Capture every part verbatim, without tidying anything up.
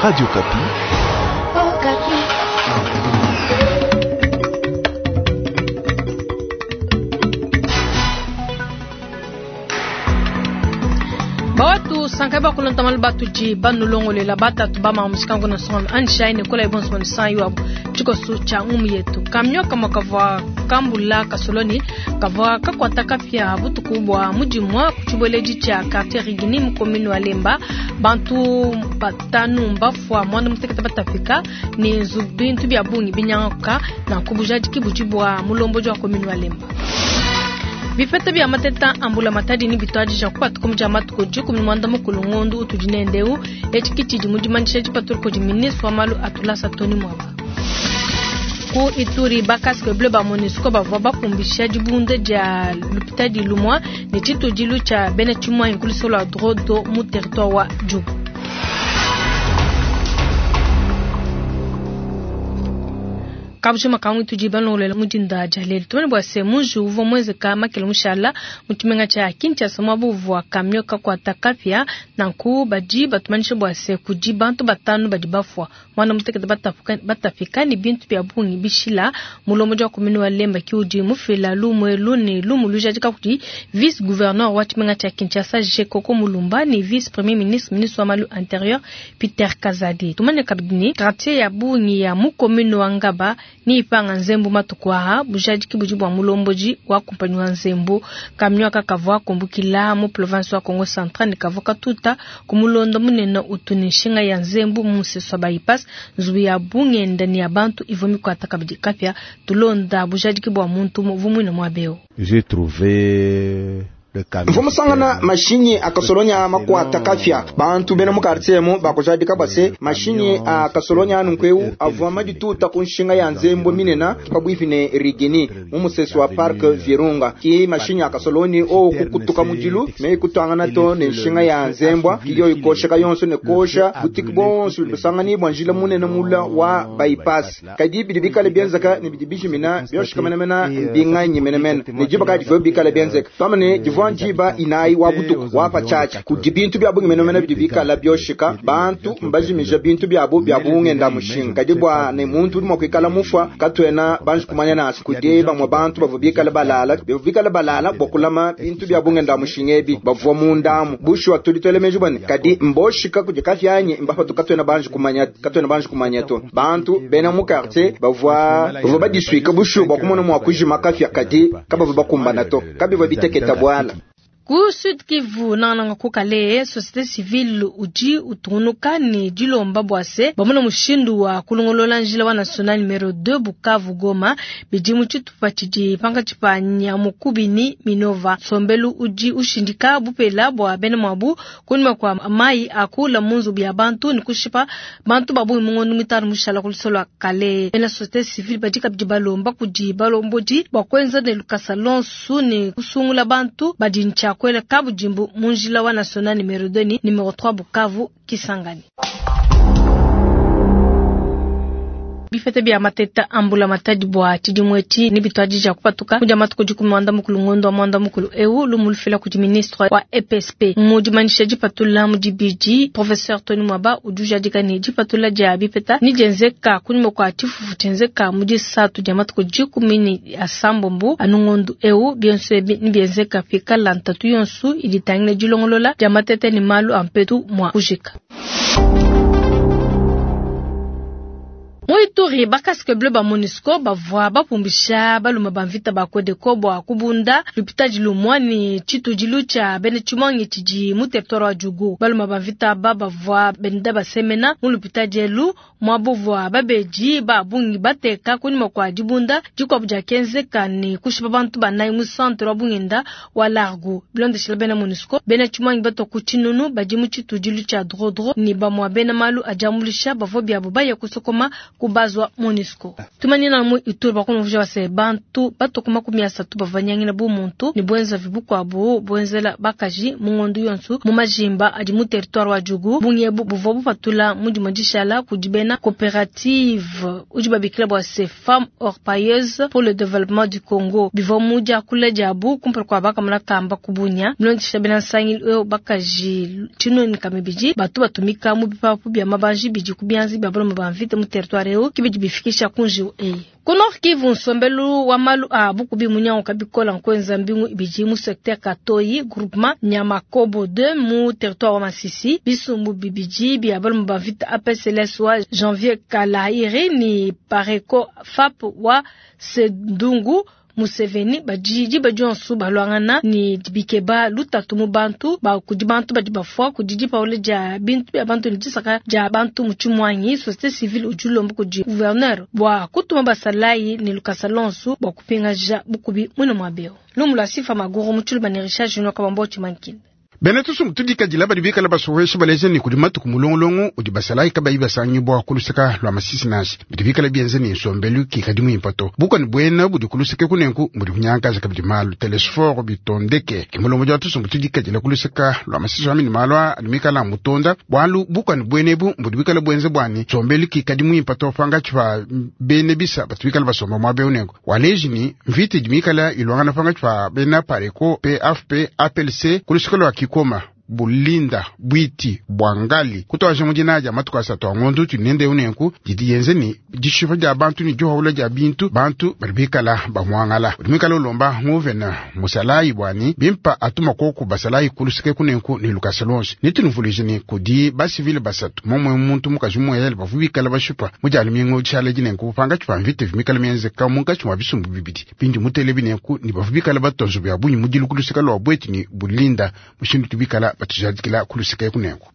Radio Okapi. Bawatu sankai bakulonta malu batudi banulongolela batatu bama mushikangu na songa anshaine kola ibonso manu yuabu tshikoso tshia ngumu yetu kamio kamwa kavua kambula kasoloni kavua kakwata kapia butuku bua mudimua kutshibueledi tshia quartier Rigini mu commune wa Lemba bantu batanu mbafua mwanda mutekete batafika ni nzu bintu bia bungi binyanguka na kubujadiki budi bua mulomboji wa commune wa Lemba. Bipeta bia mateta ambula matadi ni bitwadija kupatuka muja matuku dikumi mwanda mukulu ngondu utudi nendeu etshi tshidi mudimanyisha dipatulu kudi ministre wa malu atulasa Tony Mwaba. Ku Ituri bakaske bleu ba MONUSCO bavua bapumbisha dibunda dia lupitadi lumwa ne tshitudilu tshia bena tshimwanyi ku lusolo lua Drodo mu territoire wa Djugu. Kabujima kamwe tudi balongolela mudinda dia lelu tumane bua se muji uvua muenzeka makele mushala mu tshimenga tshia Kinshasa muaba uvua kamio kakuata kapia nanku badi batumanyisha bua se kudi bantu batanu badi bafua mwana mutekete batapika ni bintu bia bungi bishila mulombodi wa commune wa Lemba ki udi mufila lumwe lune lumu lujadika kudi vice gouverneur wa tshimenga tshia Kinshasa Jekoko Mulumba ni vice premier ministre ministre wa malu intérieur Peter Kazadi. Tumane kabidi ni quartier ya bungi ya mu commune wa Ngaba ni ipanga nzembu matuku aha bujadiki budi bua mulomboji wa kumpanyi wa nzembu kamio kakavua kumbukila mu province wa Kongo Central ne kavua katuta kumulondo munene utu ne nshinga ya nzembu mu musesu wa bypass nzubu ya bungenda ni ya bantu ivua mikuata kabidi kapia tulonda bujadiki bua muntu vumuina muabeo. J'ai trouvé Mvumusangana mashinyi akasolonya makwata kafya bantu bena mu quartier mu bakujadika base mashinyi akasolonya anunkweu avua madituta ku nshinga ya nzembo minena pabwipi ne Rigini mu musesu wa park Virunga ki mashinyi akasoloni o kukutuka mudilu me kutwangana to ne nshinga ya nzembwa kiyo ikosheka yonso ne kosha butiki bonso busangani bwa njila munene mula wa bypass kadi bidi bikale bienzeka ne bidi bijimina byoshika menemena mbinganyi menemena ne jiba kadi vyo bikale bienzeka twamane divua njiba inayi wa butuku wapa chacha kudi bintu bya bungi menemene bidi bikala byoshika bantu mbajimija bintu byabo bya bungenda mushinga kadi bwa ne muntu udi mua kuikala mufwa katwena banji kumanya nasi kudi bamwe bantu bavua bikala balala bavua bikala balala bua kulama bintu bya bungenda mushinga ebi bavua mundamu bushuwa tudi twele bwane kadi mboshika kudi kafyanyi mbapatu katwena banji kumanya katwena banji kumanya to bantu bena mu quartier bavua bavua badisuika bushuwa bua kumona mua kujima kafya kadi kabavua bakumbana to kabivua biteketa bwala. Ku Sud Kivu nananga kukale société civile udi utunuka ni dilomba bwase bamuna mushindu wa kulongolola njila wa national numero deux Bukavu Goma bidi mu tshitupa tshidi pankatshi pa Nyamukubi ni Minova sombelu udi ushindika bupela bua bena mwabu kunyuma kwa mai akula munzu bya bantu ni kushipa bantu babu mungondo mitano mushala kulisolwa kale bena société civile badi kabidi balomba kudi balombodi bua kuenza ne lukasa lonsu ni kusungula bantu badi ncha kwele kabujimbu munjila wa national numero deux ni numero trois Bukavu Kisangani. Bifete bia mateta ambula matadi bua tshidimwetshi ni bitwadija kupatuka kudia matuku dikumi mwanda mukulu ngondo wa mwanda mukulu eu lumulufila kudi ministre wa E P S P mudimanyisha dipatula mu dibidi professeur Tony Mwaba udujadika ni dipatula dia bipeta ni dienzeka kunyuma kua tshifufu tshienzeka mu disatu dia matuku dikumi ni asambombo anu ngondu eu bionso ebi ni bienzeka pikala ntatu yonsu iditangile dilongolola dia mateta ni malu a mpetu mua kujika. Muituri bakaske bleu ba MONUSCO bavua bapumbisha balume ba mvita ba Kodeko bua kubunda lupitadi lumwa ni tshitudilu tshia bena tshimuangi tshidi mu territoire wa Djugu. Balume ba mvita ba bavua benda basemena mu lupitadi elu muabuvua babedi ba bungi bateka kunyuma kua dibunda dikuabu dia kenzeka ni kushipa bantu banayi mu centre wa bungenda wa Largo. Bilondeshela bena MONUSCO bena tshimuangi batua ku tshinunu badi mu tshitudilu tshia Drodro ni bamua bena malu adiamulisha bavua biabo baya kusokoma Ku base wa MONUSCO. Tumanyina mu Ituri bakumvuja base bantu batoka makumi asatu bavanyangina bu muntu ni bwenza vibukwabu bwenzela bakaji mu ngondu yonsu mu majimba adi mu territoire wa Djugu bunyebu buvua bupatula mudi dishala kudi bena coopérative udi babikila bua se femmes orpailleuses pour le développement du Congo bivua mu diakula diabu kumpala kua bakamona kamba kubunya mulondesha bena nsangilu bakaji tshinoni kamibidi batu batumika mu bipapu bia mabanji bidi ku bianzi bia baloma ba mvita mu territoire eu kibidi bifikisha kunjiwu eyi. Ku Nord Kivu nsombelu wa malu a bukubi munyango kabikola nkwenza mbingu ibidi mu secteur Katoyi groupement Nyamakobo deux mu territoire wa Masisi bisumbu bibidi bia baloma ba mvita A P C L S wa Janvier Kalairi ni Pareko F A P wa Sendungu Museveni bajiji bajonsu balwangana ni bikeba lutatu mu bantu ba kudi bantu badi bafwa kudi paule ja bintu bya bantu ni disaka ja bantu mu chimwanyi société civile ujulombo kudi gouverneur bwa kutuma basalayi ni lukasalonsu bwa kupinga ja bukubi mwino mwabeo lumula sifa maguru mu chuluba ni Richard Junior Kabambo chimankini. Bena tusu tudika jila badi bikala basohesha baleze ni kudi matuku mulongolongo udi basalayi kabayi basangi bwa kulusaka lwa masisi nasi bidi bikala bienze ni nsombelu kikadi muimpato buka ni bwena budi kulusaka kunenku budi kunyankaza kabidi malu telesforo bitondeke kimulongo jwa tusu tudika jila kulusaka lwa masisi wamini malwa adimikala mutonda bwalu buka ni bwenebu budi bikala bwenze bwani nsombelu kikadi muimpato panga chwa bene bisa batu bikala basomba mwabe unenku waleji ni mviti dimikala ilwangana panga chwa bena pareko P F P A P L C kulusaka lwa kikoma bulinda bwiti bwangali kutoaje mujinaja matuka asatu angondu tunende unenku jidi yenze ni jishifa ja bantu ni johawula ja bintu bantu balibikala bamwangala ulimikala ulomba nguvena musalayi bwani bimpa atuma koku basalayi kulusike kunenku ni lukasalonsi nitunuvulije ni kudi basivile basatu momwe muntu mukaji mweyele bavubikala bashupa mujali mingo tshala jinenku panga chupa mvite vimikala mienze kamunga chuma bisumbu bibidi pindi mutele binenku ni bavubikala batonzo bya bunyi mudilu kulusika lwa bweti ni bulinda mushindu tubikala batujadikila kulusika kunenku.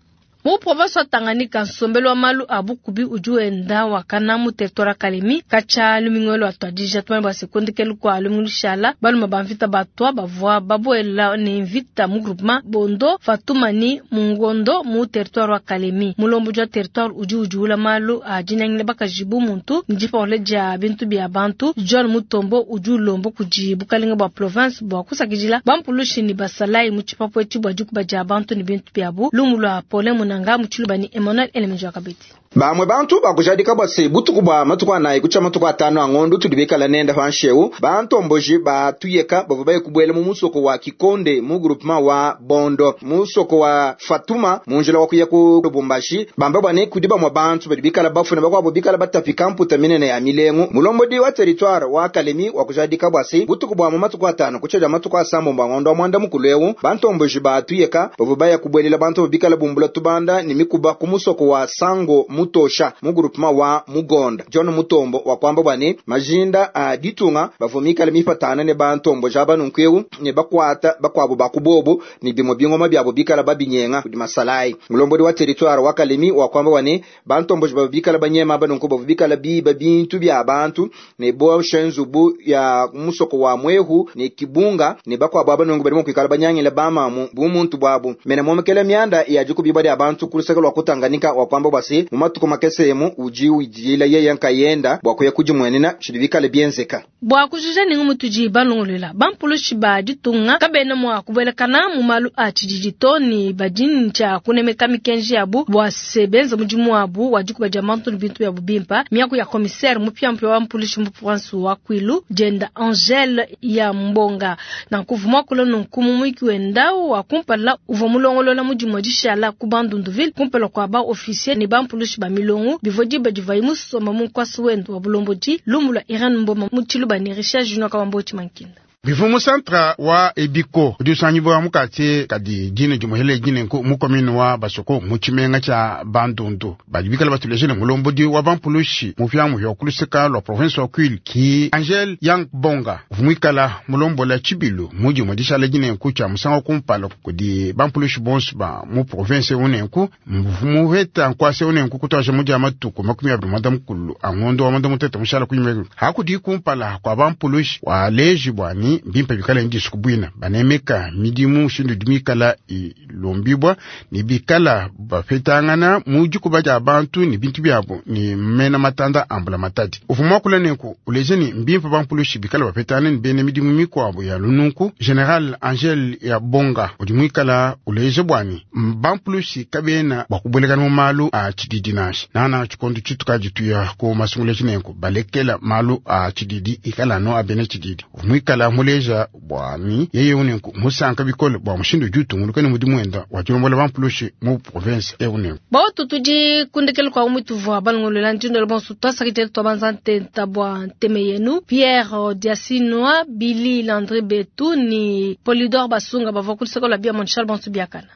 Mu province wa Tanganyika nsombelu wa malu a bukubi udi wenda wakana mu territoire Kalemi kacha lumingolo atwadija tumane bwa sekunde kelu kwa lumingu shala baluma ba mvita batwa bavua babuela ni mvita mu groupement Bondo Fatuma ni Mungondo mu territoire wa Kalemi mulombo jwa territoire udi udiula malu a dinangile bakajibu muntu ndipa ja bintu bya bantu John Mutombo udi ulombo kuji bukalenga bwa province bwa kusakijila bampulushi ni basalai mu chipapo echi bwa dikuba ja bantu ni bintu byabu lumulwa pole munanga muchilubani Emmanuel Elemenjo Kabiti. Bamwe bantu bakujadika bwase butuku bwa matuku anayi kucha matuku atano angondo tudibikala nenda panshewu bantomboji batuyeka bava baye kubwela mu musoko wa Kikonde mu groupement wa Bondo musoko wa Fatuma munjila wa kuya ku Lubumbashi bamba bwane kudi bamwe bantu badibikala bafuna bakwabo bikala batapika mputa minene ya milengo mulombodi wa territoire wa Kalemi wa kujadika bwase butuku bwa matuku atano kucha ja matuku asambo mbangondo mwanda mukulewu bantomboji batuyeka bava baye kubwelela bantu bikala bumbula tubanda ni mikuba ku musoko wa Sango Mutosha mu groupement wa Mugonda John Mutombo wa kwamba bwane majinda a ditunga bavumikala mipatana ne bantombo jaba nunkweu ne bakwata bakwabo bakubobo ni bimo bingoma byabo bikala babinyenga kudi masalai mulombodi wa territoire wa Kalemi wa kwamba bwane bantombo babikala banyema banunku bavubikala biba bintu bya bantu ne bo shenzubu ya musoko wa Mwehu ne Kibunga ne bakwabo abanungu barimo kwikala banyangila bamamu bumuntu bwabo mena momekela myanda ya jikubiba ya bantu kulusaka lwa kutanganika wa kwamba bwase matuko makesemu uji ujila yeye nkayenda bwa kuya kujimwenena chidibikale bienzeka bwa kujija ningu mutuji balongolela bampulushi ba ditunga kabena mwa kubwelekana mu malu a chidijito ni badini cha kunemeka mikenji yabu bwa sebenza mudimu wabu wa dikuba dia mantu ni bintu yabu bimpa miaku ya commissaire mupyampya wa mpulushi mu province wa Kwilu jenda Angele ya Mbonga na kuvuma kula nunkumu mwiki wenda wa kumpala uva mulongolola mudimu dishala ku Bandunduville kumpala kwa ba officier ni bampulushi ba milongo bivodi badivayi musoma mu nkwasi wendo wa bulombodi lumula Iran Mboma mutiluba ni Richard Junior Kabambo Chimankinda. Bivumu santra wa ebiko udisanyibo mukati kadi jine jumuhele jine nku mukomini wa basoko muchimenga cha Bandundu badibikala batulejele mulombodi wa bampulushi mufyamu ya kulusika lwa province wa Kwilu ki Angel Yang Bonga vumwikala mulombola chibilu muji mudishala jine nku cha musango kumpala kudi bampulushi bonso ba mu province unenku mvumu nkwase unenku kutwaje muji amatuku makumi abiri mwanda mukulu angondo wa mwanda mutete mushala kunyime hakudi kumpala kwa bampulushi wa leji bwani ni mbimpe bikala ndisuku bwina banemeka midimu mushindu udi mikala ilombibwa ni bikala bapetangana mu dikuba dia bantu ni bintu byabo ni mena matanda ambula matadi uvua muakula nenku uleja ni mbimpe bampulushi bikala bapetana ni bena midimu mikuabo ya lununku. General Angel ya Bonga udi muikala uleja bwani bampulushi kabena bwakubwelekana mu malu a tshididi nansha nana tshikondo tshitukadi tuya ku masungula tshinenku balekela malu a tshididi ikala no abena tshididi uvua muikala muleja bwani yeye unenku musanka bikole bwa mushindu udi utunguluka ni mudimu wenda wa tshilombola bampulushi mu province eunenku. Bautu tudi kundekele kwa umutuvua balongolola ndindolo bonso twasakidile twabanza ntenta bwa nteme yenu Pierre Diasinwa Billy Landry Betu ni Polydor Basunga bavua kulusaka lwa bia Montchal bonso biakana.